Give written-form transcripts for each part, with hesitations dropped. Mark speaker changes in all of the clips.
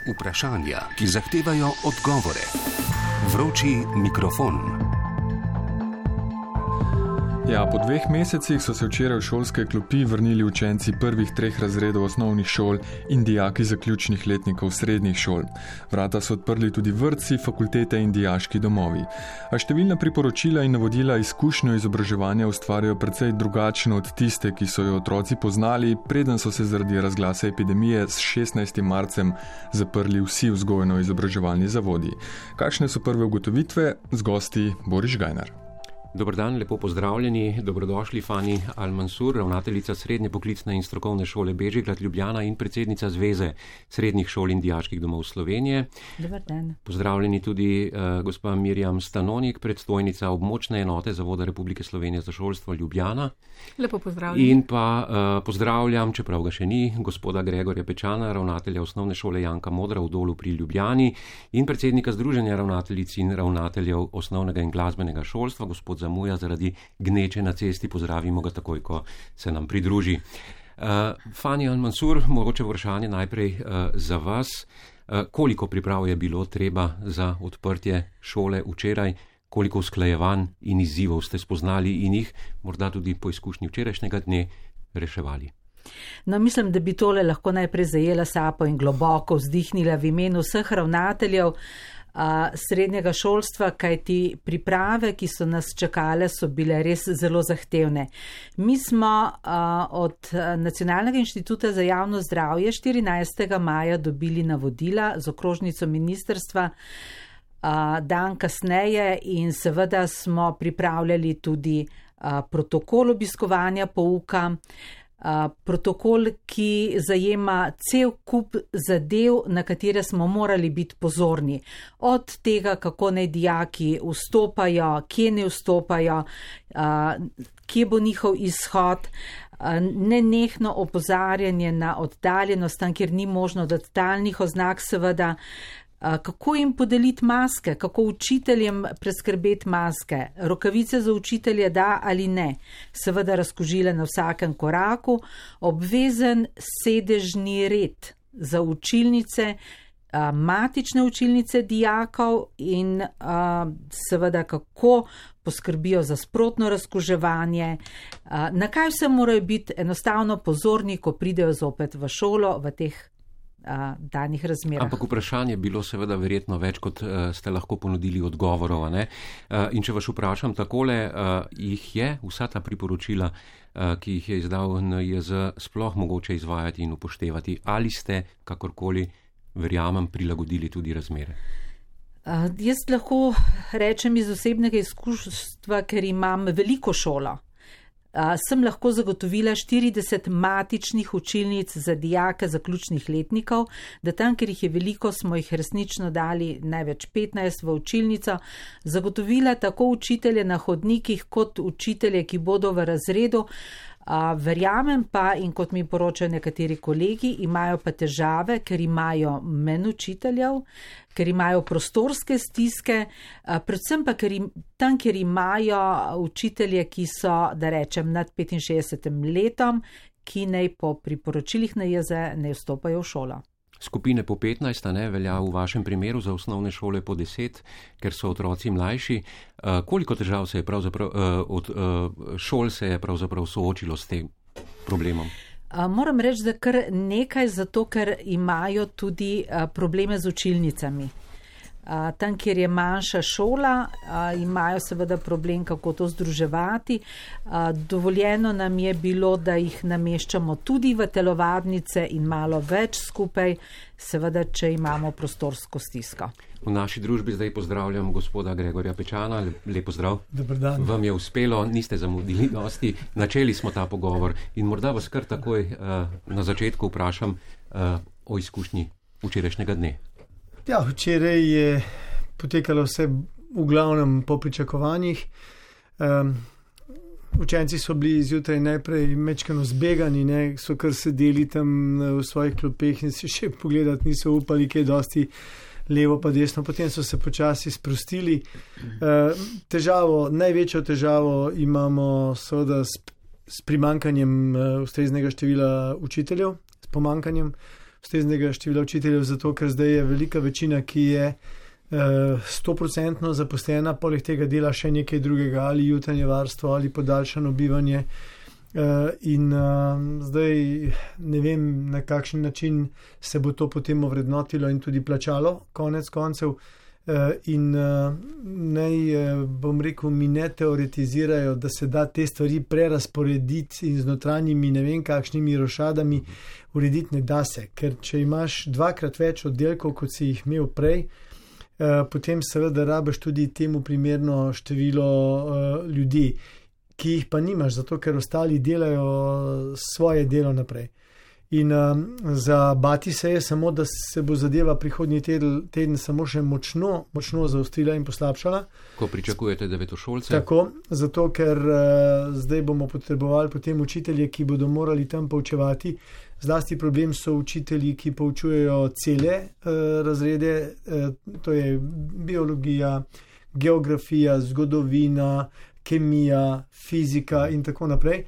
Speaker 1: vprašanja, ki zahtevajo odgovore. Vroči mikrofon.
Speaker 2: Ja, po 2 mesecih so se včeraj v šolske klopi vrnili učenci prvih 3 razredov osnovnih šol in dijaki zaključnih letnikov srednjih šol. Vrata so odprli tudi vrtci, fakultete in dijaški domovi. A številna priporočila in navodila izkušnjo izobraževanja ustvarjajo precej drugačno od tiste, ki so jo otroci poznali, preden so se zaradi razglasa epidemije s 16. marcem zaprli vsi vzgojno-izobraževalni zavodi. Kakšne so prve ugotovitve? Z gosti Boris Žgajnar.
Speaker 3: Dobar dan, lepo pozdravljeni, dobrodošli Fani Al-Mansur, ravnateljica Srednje poklicne in strokovne šole Bežigrad Ljubljana in predsednica Zveze srednjih šol in dijaških domov Slovenije.
Speaker 4: Dobar dan.
Speaker 3: Pozdravljeni tudi gospa Mirjam Stanonik, predstojnica območne enote Zavoda Republike Slovenije za šolstvo Ljubljana.
Speaker 4: Lepo pozdravljeni.
Speaker 3: In pa pozdravljam, čeprav ga še ni, gospoda Gregorja Pečana, ravnatelja osnovne šole Janka Modra v Dolu pri Ljubljani in predsednika Združenja ravnateljic in ravnateljev osnovnega in glasbenega šolstva, gospod Zamuja, zaradi gneče na cesti, pozdravimo ga takoj, ko se nam pridruži. Fani Al-Mansur, mogoče vprašanje najprej za vas. Koliko priprav je bilo treba za odprtje šole včeraj, koliko usklajevanj in izzivov ste spoznali in jih morda tudi po izkušnji včerajšnjega dne reševali?
Speaker 4: No, mislim, da bi tole lahko najprej zajela sapo in globoko vzdihnila v imenu vseh ravnateljev srednjega šolstva, kajti priprave, ki so nas čakale, so bile res zelo zahtevne. Mi smo od Nacionalnega inštituta za javno zdravje 14. maja dobili navodila z okrožnico ministrstva dan kasneje in seveda smo pripravljali tudi protokol obiskovanja pouka, protokol, ki zajema cel kup zadev, na katere smo morali biti pozorni. Od tega, kako naj dijaki vstopajo, kje ne vstopajo, kje bo njihov izhod, nenehno opozarjanje na oddaljenost, tam, kjer ni možno dati talnih oznak, seveda, kako jim podeliti maske, kako učiteljem preskrbeti maske, rokavice za učitelje da ali ne, seveda razkužile na vsakem koraku, obvezen sedežni red za učilnice, matične učilnice dijakov in seveda kako poskrbijo za sprotno razkuževanje, na kaj vse morajo biti enostavno pozorni, ko pridejo zopet v šolo v teh danih razmerah.
Speaker 3: Ampak vprašanje je bilo seveda verjetno več, kot ste lahko ponudili odgovorov. Ne? In če vas vprašam takole, jih je vsa ta priporočila, ki jih je izdal NIJZ, sploh mogoče izvajati in upoštevati? Ali ste kakorkoli, verjamem, prilagodili tudi razmere?
Speaker 4: Jaz lahko rečem iz osebnega izkustva, ker imam veliko šolo. Sem lahko zagotovila 40 matičnih učilnic za dijake zaključnih letnikov, da tam, ker jih je veliko, smo jih resnično dali največ 15 v učilnico, zagotovila tako učitelje na hodnikih kot učitelje, ki bodo v razredu. Verjamem pa, in kot mi poročajo nekateri kolegi, imajo pa težave, ker imajo manj učiteljev, ker imajo prostorske stiske, predvsem pa tam, kjer imajo učitelje, ki so, da rečem, nad 65 letom, ki naj po priporočilih NIJZ ne vstopajo v šolo.
Speaker 3: Skupine po 15, ne, velja v vašem primeru za osnovne šole po 10, ker so otroci mlajši. Koliko težav se je od šol se je pravzaprav soočilo s tem problemom?
Speaker 4: Moram reči, da kar nekaj, zato ker imajo tudi probleme z učilnicami. Tam, kjer je manjša šola, imajo seveda problem, kako to združevati. Dovoljeno nam je bilo, da jih nameščamo tudi v telovadnice in malo več skupaj, seveda, če imamo prostorsko stisko.
Speaker 3: V naši družbi zdaj pozdravljam gospoda Gregorja Pečana. Lep pozdrav.
Speaker 5: Dobar dan.
Speaker 3: Vam je uspelo, niste zamudili dosti. Načeli smo ta pogovor in morda vas kar takoj na začetku vprašam o izkušnji včerajšnjega dne.
Speaker 5: Ja, včeraj je potekalo vse v glavnem po pričakovanjih. Učenci so bili zjutraj najprej mečkano zbegani, ne, so kar sedeli tam v svojih klopeh in se še pogledati niso upali, kaj dosti levo pa desno. Potem so se počasi sprostili. Največjo težavo imamo seveda s primankanjem ustreznega števila učiteljev, s pomankanjem. ustreznega števila učiteljev, zato ker zdaj je velika večina, ki je 100% zaposlena, poleg tega dela še nekaj drugega, ali jutranje varstvo, ali podaljšano bivanje. In zdaj ne vem, na kakšen način se bo to potem ovrednotilo in tudi plačalo, konec koncev. In naj, bom rekel, mi ne teoretizirajo, da se da te stvari prerasporediti in z notranjimi ne vem kakšnimi rošadami urediti, ne da se. Ker če imaš 2-krat več oddelkov, kot si jih imel prej, potem seveda rabiš tudi temu primerno število ljudi, ki jih pa nimaš, zato ker ostali delajo svoje delo naprej. In za bati se je samo, da se bo zadeva prihodnji teden samo še močno zaostrila in poslabšala.
Speaker 3: Ko pričakujete devetošolce?
Speaker 5: Tako, zato ker zdaj bomo potrebovali potem učitelje, ki bodo morali tam poučevati. Zlasti problem so učitelji, ki poučujejo cele razrede, to je biologija, geografija, zgodovina, kemija, fizika in tako naprej.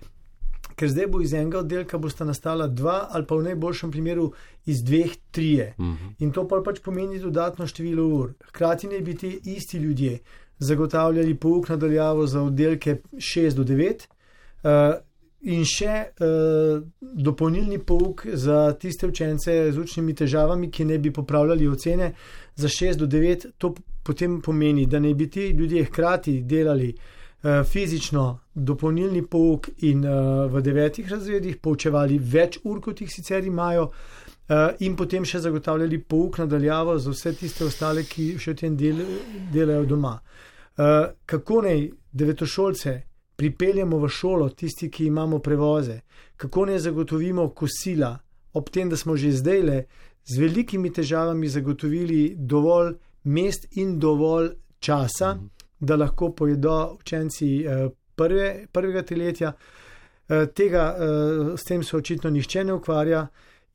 Speaker 5: Ker zdaj bo iz enega oddelka bosta nastala 2 ali pa v najboljšem primeru iz 2, 3. In to pač pomeni dodatno število ur. Hkrati naj bi ti isti ljudje zagotavljali pouk nadaljavo za oddelke 6 do 9 in še dopolnilni pouk za tiste učence z učnimi težavami, ki ne bi popravljali ocene za 6 do 9. To potem pomeni, da naj bi ti ljudje hkrati delali fizično dopolnilni pouk in v 9 razredih poučevali več ur, kot jih sicer imajo, in potem še zagotavljali pouk nadaljavo za vse tiste ostale, ki še v tem delajo doma. Kako naj devetošolce pripeljemo v šolo, tisti, ki imamo prevoze, kako naj zagotovimo kosila, ob tem, da smo že zdajle z velikimi težavami zagotovili dovolj mest in dovolj časa, da lahko pojedo učenci prvega triletja. S tem se očitno nihče ne ukvarja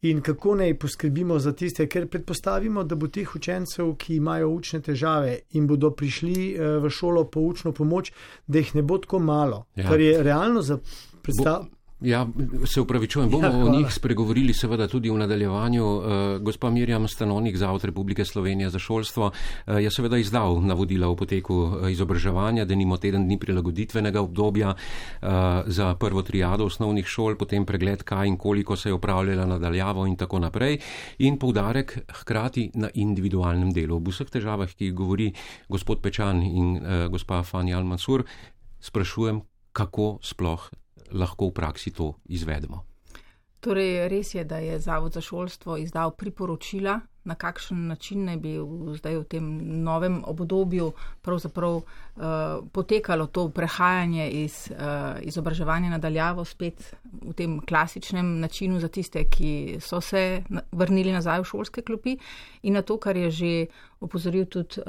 Speaker 5: in kako naj poskrbimo za tiste, ker predpostavimo, da bo teh učencev, ki imajo učne težave in bodo prišli v šolo po učno pomoč, da jih ne bo tako malo, kar je realno za predstavljanje.
Speaker 3: Ja, se upravičujem, bomo o njih spregovorili seveda tudi v nadaljevanju. Gospa Mirjam Stanonik, Zavod Republike Slovenije za šolstvo, je seveda izdal navodila o poteku izobraževanja, denimo teden dni prilagoditvenega obdobja za prvo triado osnovnih šol, potem pregled, kaj in koliko se je opravljala nadaljavo in tako naprej, in poudarek hkrati na individualnem delu. Ob vseh težavah, ki govori gospod Pečan in gospa Fani Al-Mansur, sprašujem, kako sploh lahko v praksi to izvedemo.
Speaker 6: Torej, res je, da je Zavod za šolstvo izdal priporočila, na kakšen način naj bi zdaj v tem novem obdobju pravzaprav potekalo to prehajanje iz izobraževanja nadaljavo spet v tem klasičnem načinu za tiste, ki so se vrnili nazaj v šolske klopi, in na to, kar je že opozoril tudi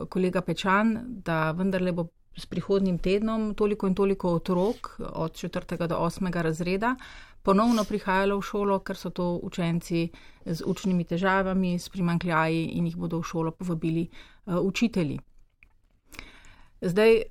Speaker 6: kolega Pečan, da vendarle bo s prihodnjim tednom toliko in toliko otrok od 4. do 8. razreda ponovno prihajalo v šolo, ker so to učenci z učnimi težavami, s primanjkljaji, in jih bodo v šolo povabili učitelji. Zdaj,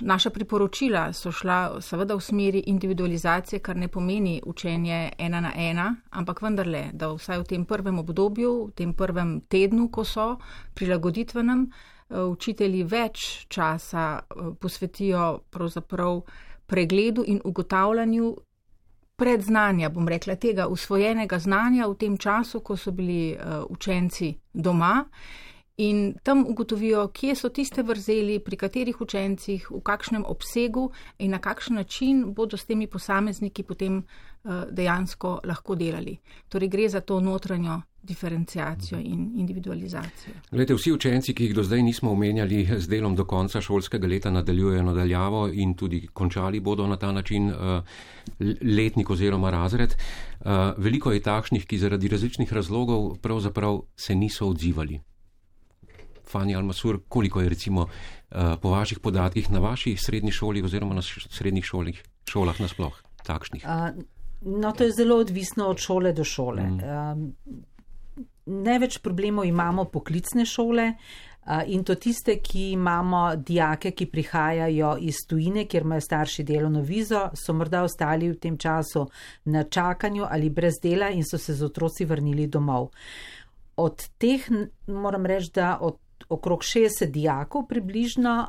Speaker 6: naša priporočila so šla seveda v smeri individualizacije, kar ne pomeni učenje 1 na 1, ampak vendarle, da vsaj v tem prvem obdobju, v tem prvem tednu, ko so prilagoditvenem, učitelji več časa posvetijo pravzaprav pregledu in ugotavljanju predznanja, bom rekla, tega usvojenega znanja v tem času, ko so bili učenci doma, in tam ugotovijo, kje so tiste vrzeli, pri katerih učencih, v kakšnem obsegu in na kakšen način bodo s temi posamezniki potem dejansko lahko delali. Torej gre za to notranjo diferenciacijo in individualizacijo.
Speaker 3: Glejte, vsi učenci, ki jih do zdaj nismo omenjali, z delom do konca šolskega leta nadaljujejo nadaljavo in tudi končali bodo na ta način letnik oziroma razred. Veliko je takšnih, ki zaradi različnih razlogov pravzaprav se niso odzivali. Fani Al-Mansur, koliko je recimo po vaših podatkih na vaši srednji šoli oziroma na srednjih šolah nasploh takšnih?
Speaker 4: No, to je zelo odvisno od šole do šole. Največ problemov imamo poklicne šole, In to tiste, ki imamo dijake, ki prihajajo iz tujine, kjer imajo starši delovno vizo, so morda ostali v tem času na čakanju ali brez dela in so se z otroci vrnili domov. Od teh moram reči, da od okrog 60 dijakov približno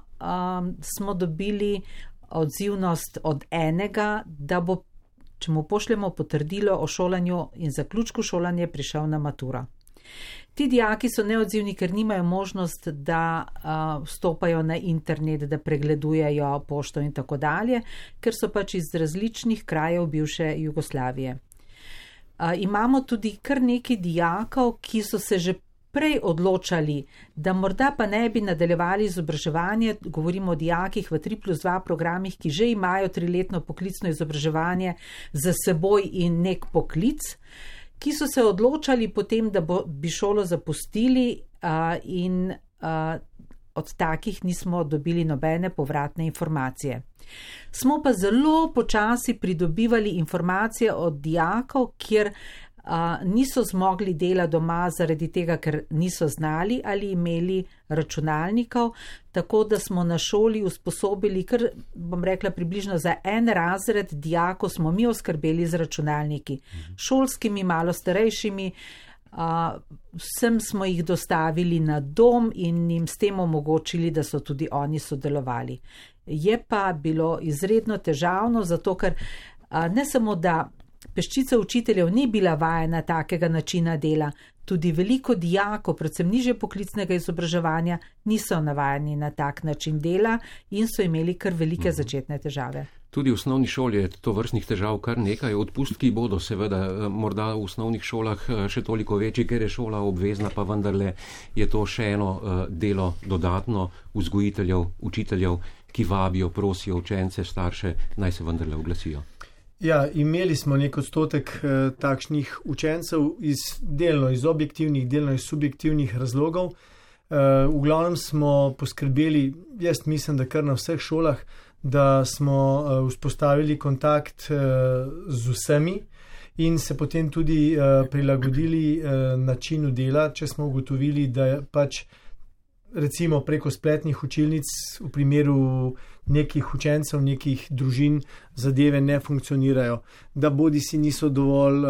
Speaker 4: smo dobili odzivnost od enega, da bo, če mu pošljemo potrdilo o šolanju in zaključku šolanja, prišel na maturo. Ti dijaki so neodzivni, ker nimajo možnost, da vstopajo na internet, da pregledujejo pošto in tako dalje, ker so pač iz različnih krajev bivše Jugoslavije. Imamo tudi kar nekaj dijakov, ki so se že prej odločali, da morda pa ne bi nadaljevali izobraževanje, govorimo o dijakih v 3+2 programih, ki že imajo 3-letno poklicno izobraževanje za seboj in nek poklic, ki so se odločali potem, da bi šolo zapustili in od takih nismo dobili nobene povratne informacije. Smo pa zelo počasi pridobivali informacije od dijakov, kjer niso zmogli dela doma zaradi tega, ker niso znali ali imeli računalnikov, tako da smo na šoli usposobili, kar bom rekla približno za en razred dijakov smo mi oskrbeli z računalniki, šolskimi, malo starejšimi, vsem smo jih dostavili na dom in jim s tem omogočili, da so tudi oni sodelovali. Je pa bilo izredno težavno, zato ker ne samo, da peščica učiteljev ni bila vajena takega načina dela, tudi veliko dijakov, predvsem nižje poklicnega izobraževanja, niso navajeni na tak način dela in so imeli kar velike začetne težave.
Speaker 3: Tudi v osnovni šoli je to vrstnih težav kar nekaj. Odpustki bodo seveda morda v osnovnih šolah še toliko večji, ker je šola obvezna, pa vendarle je to še eno delo dodatno vzgojiteljev, učiteljev, ki vabijo, prosijo učence, starše, naj se vendarle oglasijo.
Speaker 5: Ja, imeli smo nek odstotek takšnih učencev delno iz objektivnih, delno iz subjektivnih razlogov. V glavnem smo poskrbeli, jaz mislim, da kar na vseh šolah, da smo vzpostavili kontakt z vsemi in se potem tudi prilagodili načinu dela, če smo ugotovili, da pač recimo preko spletnih učilnic v primeru nekih učencev, nekih družin zadeve ne funkcionirajo, da bodisi niso dovolj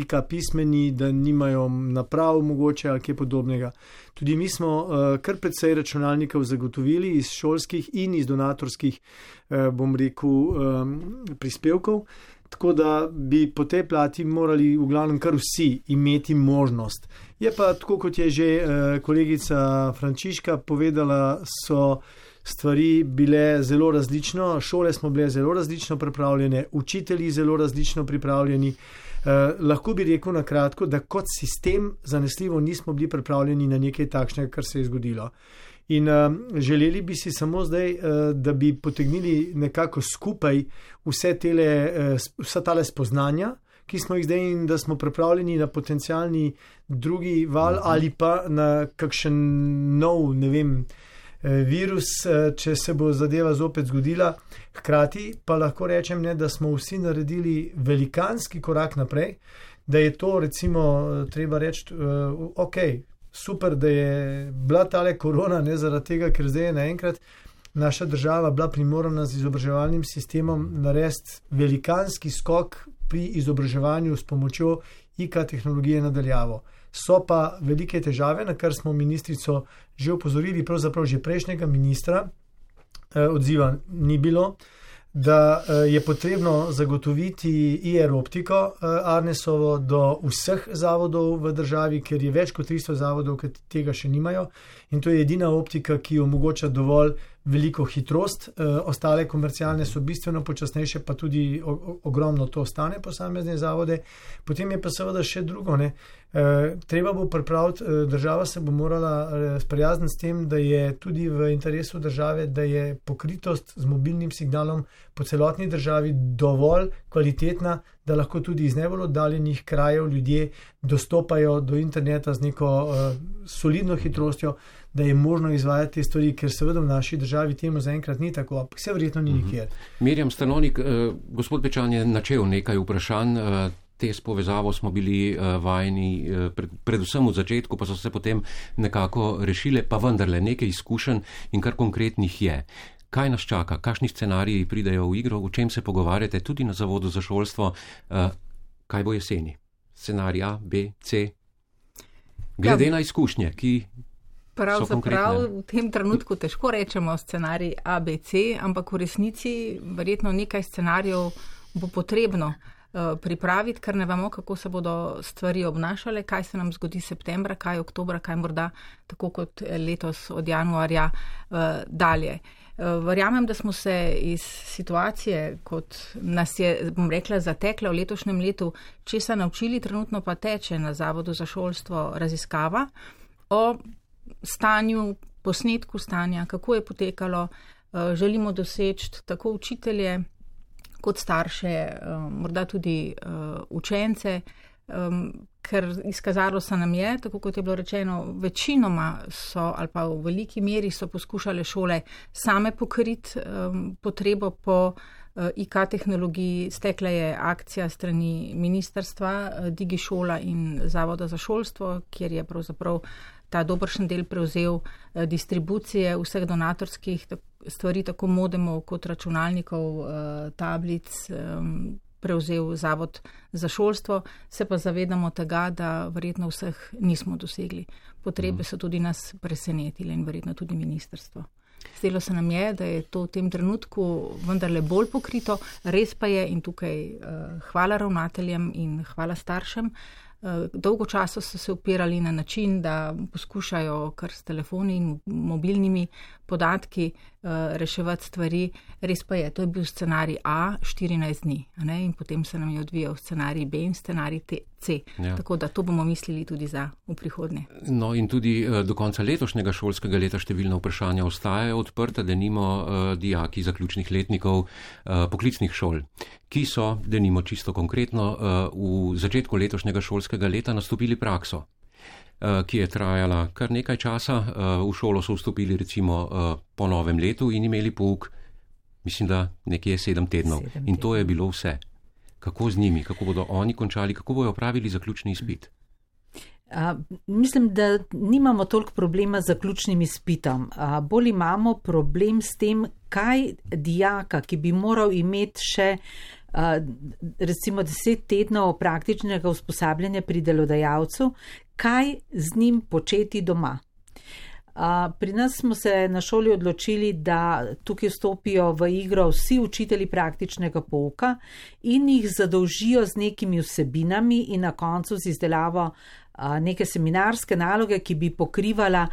Speaker 5: IK pismeni, da nimajo naprav mogoče ali kaj podobnega. Tudi mi smo kar precej računalnikov zagotovili iz šolskih in iz donatorskih, bom rekel, prispevkov, tako da bi po tej plati morali v glavnem kar vsi imeti možnost. Je pa tako, kot je že kolegica Frančiška povedala, so stvari bile zelo različno, šole smo bile zelo različno pripravljene, učitelji zelo različno pripravljeni. Lahko bi rekel na kratko, da kot sistem zanesljivo nismo bili pripravljeni na nekaj takšnega, kar se je zgodilo. In želeli bi si samo zdaj, da bi potegnili nekako skupaj vsa tale spoznanja, ki smo jih zdaj in da smo pripravljeni na potencialni drugi val ali pa na kakšen nov, ne vem, virus, če se bo zadeva zopet zgodila. Hkrati pa lahko rečem, da smo vsi naredili velikanski korak naprej, da je to recimo treba reči, ok, super, da je bila tale korona, ne zaradi tega, ker zdaj je naenkrat naša država bila primorana z izobraževalnim sistemom narediti velikanski skok pri izobraževanju s pomočjo IK tehnologije nadaljavo. So pa velike težave, na kar smo ministrico že opozorili, pravzaprav že prejšnjega ministra, odziva ni bilo, da je potrebno zagotoviti IR optiko Arnesovo do vseh zavodov v državi, ker je več kot 300 zavodov, ki tega še nimajo in to je edina optika, ki omogoča dovolj veliko hitrost, ostale komercialne so bistveno počasnejše, pa tudi ogromno to stane posamezne zavode. Potem je pa seveda še drugo, treba bo pripraviti, država se bo morala sprijazniti s tem, da je tudi v interesu države, da je pokritost z mobilnim signalom po celotni državi dovolj kvalitetna, da lahko tudi iz najbolj oddaljenih krajev ljudje dostopajo do interneta z neko solidno hitrostjo, da je možno izvajati te stvari, ker seveda v naši državi temu zaenkrat ni tako, vse verjetno ni nikjer.
Speaker 3: Mirjam Stanovnik, gospod Pečan je načel nekaj vprašanj, te s povezavo smo bili vajeni, predvsem v začetku, pa so se potem nekako rešile, pa vendarle nekaj izkušenj in kar konkretnih je. Kaj nas čaka, kakšni scenariji pridejo v igro, o čem se pogovarjate tudi na Zavodu za šolstvo, kaj bo jeseni? Scenarij A, B, C? Glede na izkušnje, ki
Speaker 6: pravzaprav v tem trenutku težko rečemo scenarij A, B, C, ampak v resnici verjetno nekaj scenarijev bo potrebno pripraviti, ker ne vemo, kako se bodo stvari obnašale, kaj se nam zgodi septembra, kaj oktobra, kaj morda tako kot letos od januarja dalje. Verjamem, da smo se iz situacije, kot nas je, bom rekla, zatekla v letošnjem letu, česa naučili, trenutno pa teče na Zavodu za šolstvo raziskava o stanju, posnetku stanja, kako je potekalo, želimo doseči tako učitelje kot starše, morda tudi učence, ker izkazalo se nam je, tako kot je bilo rečeno, večinoma so ali pa v veliki meri so poskušale šole same pokriti potrebo po IK tehnologiji. Stekla je akcija strani ministrstva, DigiŠola in Zavoda za šolstvo, kjer je pravzaprav ta dobršen del prevzel distribucije vseh donatorskih stvari, tako modemov kot računalnikov, tablic, prevzel Zavod za šolstvo, se pa zavedamo tega, da verjetno vseh nismo dosegli. Potrebe so tudi nas presenetile in verjetno tudi ministrstvo. Zdelo se nam je, da je to v tem trenutku vendarle bolj pokrito, res pa je in tukaj hvala ravnateljem in hvala staršem. Dolgo časa so se upirali na način, da poskušajo kar s telefoni in mobilnimi podatki reševati stvari. Res pa je, to je bil scenarij A 14 dni, ne? In potem se nam je odvijal scenarij B in scenarij C. Ja. Tako da to bomo mislili tudi za v prihodnje.
Speaker 3: No in tudi do konca letošnjega šolskega leta številna vprašanja ostajajo odprta, denimo dijaki zaključnih letnikov poklicnih šol, ki so, denimo čisto konkretno, v začetku letošnjega šolskega leta nastopili prakso, ki je trajala kar nekaj časa. V šolo so vstopili recimo po novem letu in imeli pouk, mislim, da nekje 7 tednov. In to je bilo vse. Kako z njimi, kako bodo oni končali, kako bojo opravili zaključni izpit?
Speaker 4: Mislim, da nimamo toliko problema z zaključnim izpitom. Bolj imamo problem s tem, kaj dijaka, ki bi moral imeti še recimo 10 tednov praktičnega usposabljanja pri delodajalcu, kaj z njim početi doma. Pri nas smo se na šoli odločili, da tukaj vstopijo v igro vsi učitelji praktičnega pouka in jih zadolžijo z nekimi vsebinami in na koncu z izdelavo neke seminarske naloge, ki bi pokrivala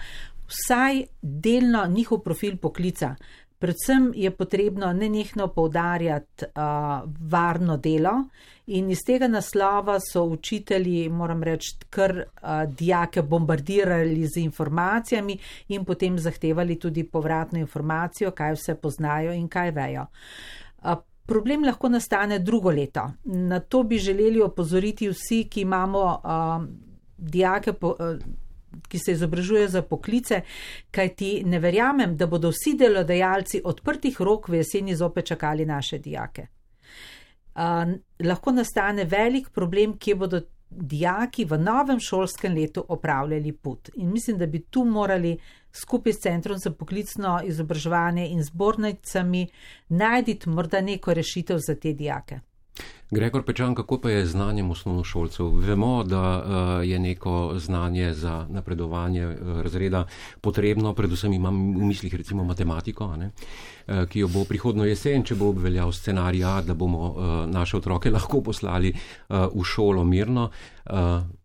Speaker 4: vsaj delno njihov profil poklica. Predvsem je potrebno nenehno poudarjati varno delo in iz tega naslova so učitelji, moram reči, kar dijake bombardirali z informacijami in potem zahtevali tudi povratno informacijo, kaj vse poznajo in kaj vejo. Problem lahko nastane drugo leto. Na to bi želeli opozoriti vsi, ki imamo dijake ki se izobražujejo za poklice, kajti ne verjamem, da bodo vsi delodajalci odprtih rok v jeseni zopet čakali naše dijake. Lahko nastane velik problem, kje bodo dijaki v novem šolskem letu opravljali put. In mislim, da bi tu morali skupaj s Centrom za poklicno izobraževanje in zbornicami najti morda neko rešitev za te dijake.
Speaker 3: Gregor Pečan, kako pa je znanjem osnovnošolcev? Vemo, da je neko znanje za napredovanje razreda potrebno, predvsem imam v mislih recimo matematiko, ki jo bo prihodno jesen, če bo obveljal scenarij A, da bomo naše otroke lahko poslali v šolo mirno,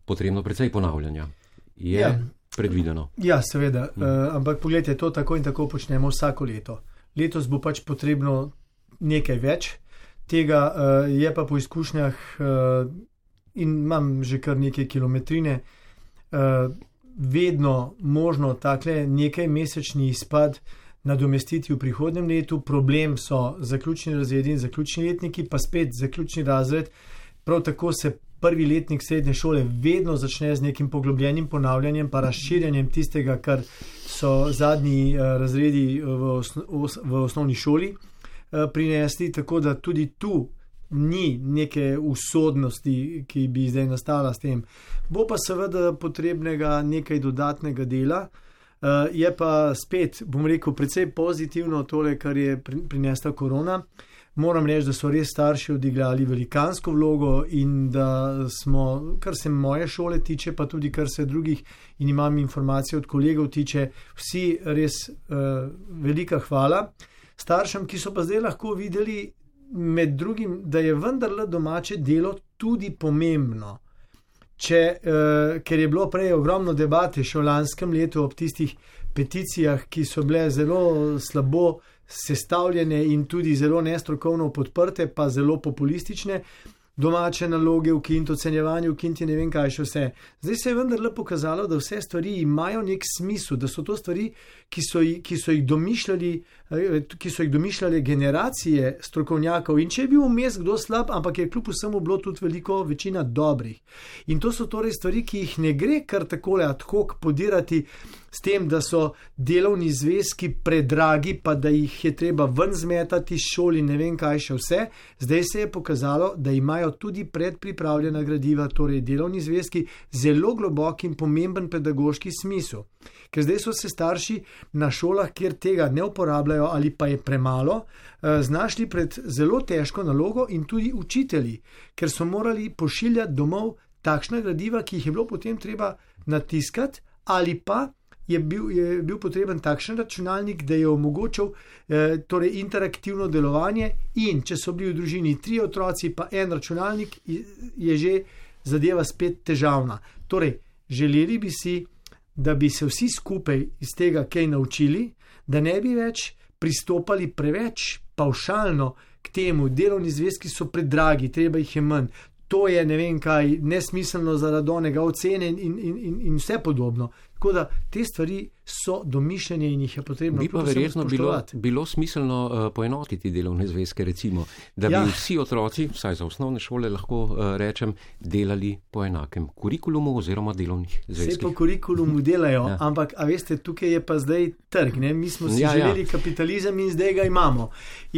Speaker 3: potrebno precej ponavljanja. Je predvideno? Ja,
Speaker 5: seveda, ampak pogledajte, to tako in tako počnemo vsako leto. Letos bo pač potrebno nekaj več. Tega je pa po izkušnjah in imam že kar nekaj kilometrine, vedno možno takle nekaj mesečni izpad nadomestiti v prihodnem letu. Problem so zaključni razredi in zaključni letniki, pa spet zaključni razred. Prav tako se prvi letnik srednje šole vedno začne z nekim poglobljenim ponavljanjem pa razširjanjem tistega, kar so zadnji razredi v osnovni šoli prinesli, tako da tudi tu ni neke usodnosti, ki bi zdaj nastala s tem. Bo pa seveda potrebnega nekaj dodatnega dela. Je pa spet, bom rekel, precej pozitivno tole, kar je prinesla korona. Moram reči, da so res starši odigrali velikansko vlogo in da smo, kar se moje šole tiče, pa tudi kar se drugih in imam informacije od kolegov tiče, vsi res velika hvala. Staršem, ki so pa zdaj lahko videli med drugim, da je vendarle domače delo tudi pomembno. Ker je bilo prej ogromno debate še v lanskem letu ob tistih peticijah, ki so bile zelo slabo sestavljene in tudi zelo nestrokovno podprte, pa zelo populistične, domače naloge, ukiniti ocenjevanje, ukiniti ne vem kaj še vse. Zdaj se je vendarle pokazalo, da vse stvari imajo nek smisel, da so to stvari, ki so jih domišljale generacije strokovnjakov in če je bil vmes kdo slab, ampak je kljub vsemu bilo tudi veliko večina dobrih. In to so torej stvari, ki jih ne gre kar takole ad hoc podirati s tem, da so delovni zvezki predragi, pa da jih je treba ven zmetati iz šoli, ne vem kaj še vse. Zdaj se je pokazalo, da imajo tudi predpripravljena gradiva, torej delovni zvezki, zelo globok in pomemben pedagoški smisel. Ker zdaj so se starši na šolah, kjer tega ne uporabljajo ali pa je premalo, znašli pred zelo težko nalogo in tudi učitelji, ker so morali pošiljati domov takšna gradiva, ki jih je bilo potem treba natiskati ali pa je bil potreben takšen računalnik, da je omogočal torej interaktivno delovanje in če so bili v družini 3 otroci pa en računalnik, je že zadeva spet težavna. Torej, želeli bi si, da bi se vsi skupaj iz tega kaj naučili, da ne bi več pristopali preveč pavšalno k temu, delovni zvezki so predragi, treba jih je manj. To je ne vem kaj, nesmiselno zaradi onega ocene in vse podobno. Tako da te stvari so domišljene in jih je potrebno
Speaker 3: spoštovati. Bi pa verjetno bilo smiselno poenotiti delovne zvezke, recimo, da bi vsi otroci, vsaj za osnovne šole lahko rečem, delali po enakem kurikulumu oziroma delovnih zvezkih.
Speaker 5: Vse po kurikulumu delajo, ampak a veste, tukaj je pa zdaj trg. Ne? Mi smo si želeli kapitalizem in zdaj ga imamo.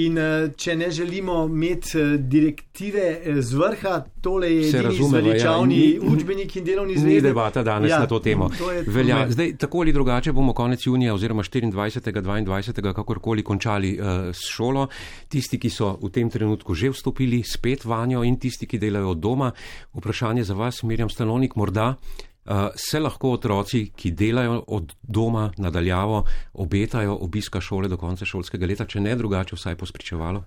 Speaker 5: In če ne želimo imeti direktive z vrha, tole je edini zveličavni učbenik in delovni zvezek.
Speaker 3: Ni debata danes na to temo. Zdaj, tako ali drugače bomo konec junija oziroma 24. 22. kakorkoli končali s šolo. Tisti, ki so v tem trenutku že vstopili spet vanjo in tisti, ki delajo od doma. Vprašanje za vas, Mirjam Stanovnik, morda se lahko otroci, ki delajo od doma nadaljavo, obetajo obiska šole do konca šolskega leta, če ne drugače vsaj pospričevalo?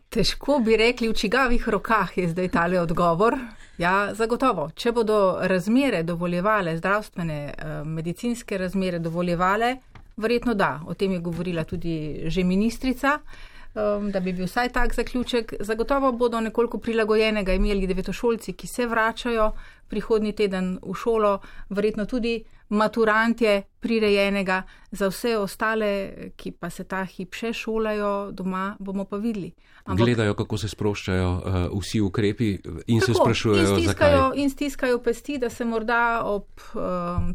Speaker 6: Težko bi rekli, v čigavih rokah je zdaj tale odgovor. Ja, zagotovo. Če bodo razmere dovoljevale, zdravstvene, medicinske razmere dovoljevale, verjetno da. O tem je govorila tudi že ministrica, da bi bil vsaj tak zaključek. Zagotovo bodo nekoliko prilagojenega imeli devetošolci, ki se vračajo prihodnji teden v šolo, verjetno tudi maturantje prirejenega, za vse ostale, ki pa se ta hip še šolajo doma, bomo pa videli.
Speaker 3: Gledajo, kako se sproščajo vsi ukrepi in tako, se sprašujejo, zakaj.
Speaker 6: In stiskajo pesti, da se morda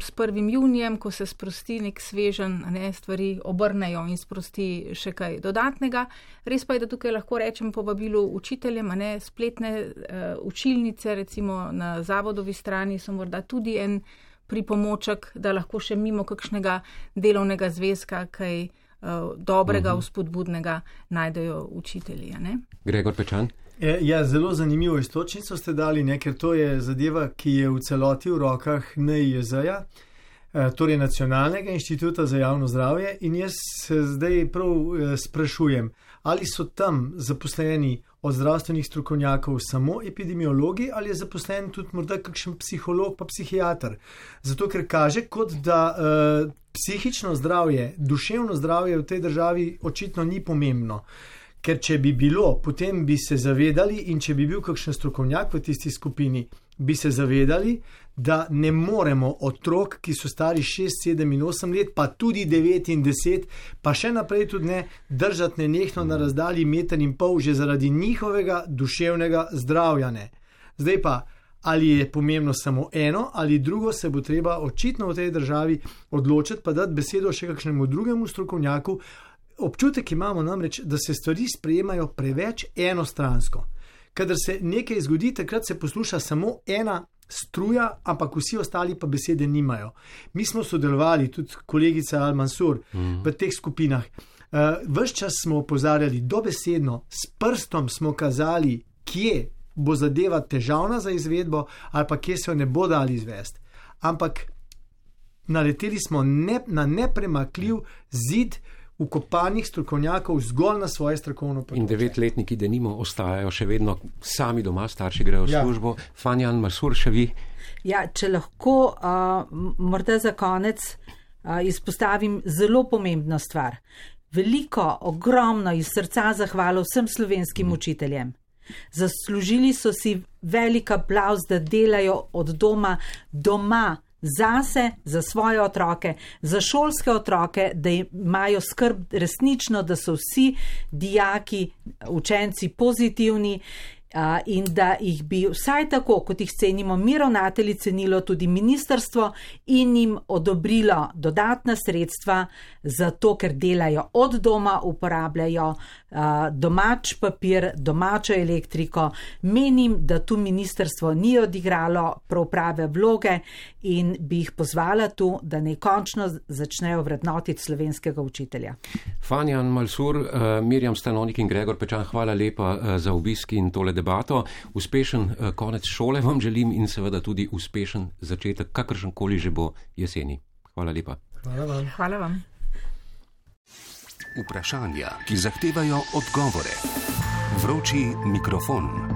Speaker 6: s 1. junijem, ko se sprosti nek svežen, stvari obrnejo in sprosti še kaj dodatnega. Res pa je, da tukaj lahko rečem povabilu učiteljem, spletne učilnice, recimo na zavodovi strani so morda tudi en pripomoček, da lahko še mimo kakšnega delovnega zvezka kaj dobrega, vzpodbudnega najdejo učitelji.
Speaker 3: Gregor Pečan?
Speaker 5: Ja, zelo zanimivo istočnico ste dali, ker to je zadeva, ki je v celoti v rokah NIJZ-ja, torej Nacionalnega inštituta za javno zdravje, in jaz se zdaj prav sprašujem, ali so tam zaposleni od zdravstvenih strokovnjakov samo epidemiologi ali je zaposlen tudi morda kakšen psiholog pa psihiater. Zato, ker kaže, kot da psihično zdravje, duševno zdravje v tej državi očitno ni pomembno. Ker če bi bilo, potem bi se zavedali in če bi bil kakšen strokovnjak v tisti skupini, bi se zavedali, da ne moremo otrok, ki so stari 6, 7 in 8 let, pa tudi 9 in 10, pa še naprej tudi ne, držati nenehno na razdalji 1,5 metra že zaradi njihovega duševnega zdravja. Zdaj pa, ali je pomembno samo eno ali drugo, se bo treba očitno v tej državi odločiti, pa dati besedo še kakšnemu drugemu strokovnjaku, občutek imamo namreč, da se stvari sprejemajo preveč enostransko. Kadar se nekaj zgodi, takrat se posluša samo ena struja, ampak vsi ostali pa besede nimajo. Mi smo sodelovali, tudi kolegica Al-Mansur, v teh skupinah. Ves čas smo opozarjali, dobesedno, s prstom smo kazali, kje bo zadeva težavna za izvedbo ali pa kje se jo ne bo dali izvesti. Ampak naleteli smo na nepremakljiv zid ukopanih strokovnjakov zgolj na svoje strokovno področje.
Speaker 3: In 9-letniki denimo ostajajo še vedno sami doma, starši grejo v službo. Fanja Al-Mansur, še vi?
Speaker 4: Ja, če lahko morda za konec izpostavim zelo pomembno stvar. Veliko, ogromno iz srca zahvalo vsem slovenskim učiteljem. Zaslužili so si velik aplavz, da delajo od doma zase, za svoje otroke, za šolske otroke, da imajo skrb resnično, da so vsi dijaki, učenci pozitivni in da jih bi vsaj tako, kot jih cenimo mi ravnatelji, cenilo tudi ministrstvo in jim odobrilo dodatna sredstva za to, ker delajo od doma, uporabljajo domač papir, domačo elektriko. Menim, da tu ministrstvo ni odigralo prav prave vloge in bi jih pozvala tu, da ne končno začnejo vrednotiti slovenskega učitelja.
Speaker 3: Fanja Al-Mansur, Mirjam Stanonik in Gregor Pečan, hvala lepa za obisk in tole debato. Uspešen konec šole vam želim in seveda tudi uspešen začetek, kakršenkoli že bo jeseni. Hvala lepa.
Speaker 5: Hvala vam.
Speaker 6: Hvala vam.
Speaker 1: Vprašanja, ki zahtevajo odgovore. Vroči mikrofon.